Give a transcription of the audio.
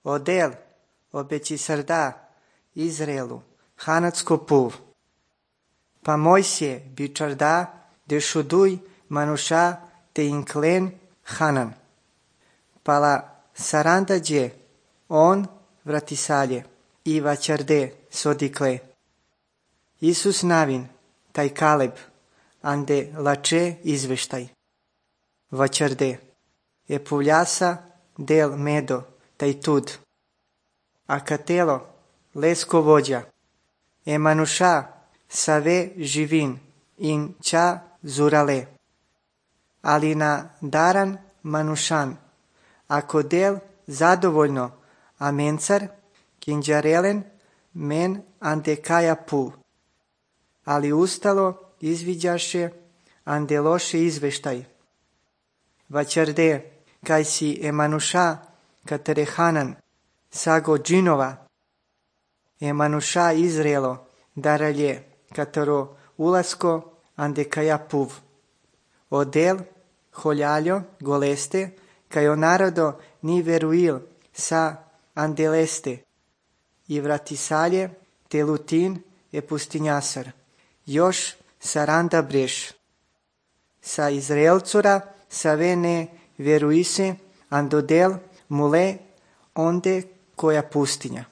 Odel obeci srda Izraelu, hanacko puv. Pa Mojsije bičarda de šuduj manusha te inklen Hanan. Pala sarandađe on vratisalje i vačarde sodikle. Isus navin, taj Kaleb, ande lače izveštaj. Vačarde, je puvljasa del medo, taj tud. A katelo, lesko vođa, e manusha save živin, in ča zurale. Ali na daran manushan, ako del zadovoljno, a mencar, kinđarelen, men ande kaja pu. Ali ustalo izviđaše ande loše izveštaj. Vačarde, kaj si emanusha katere Hanan, sago džinova, emanusha Izraelo, daralje katero ulasko ande kaja puv. Odel, holjaljo, goleste, kajo narodo ni veruil sa andeleste, i vratisalje te lutin e pustinjasar. Još saranda breš. Sa Izraelcura save ne veruise andodel mule onde koja pustinja.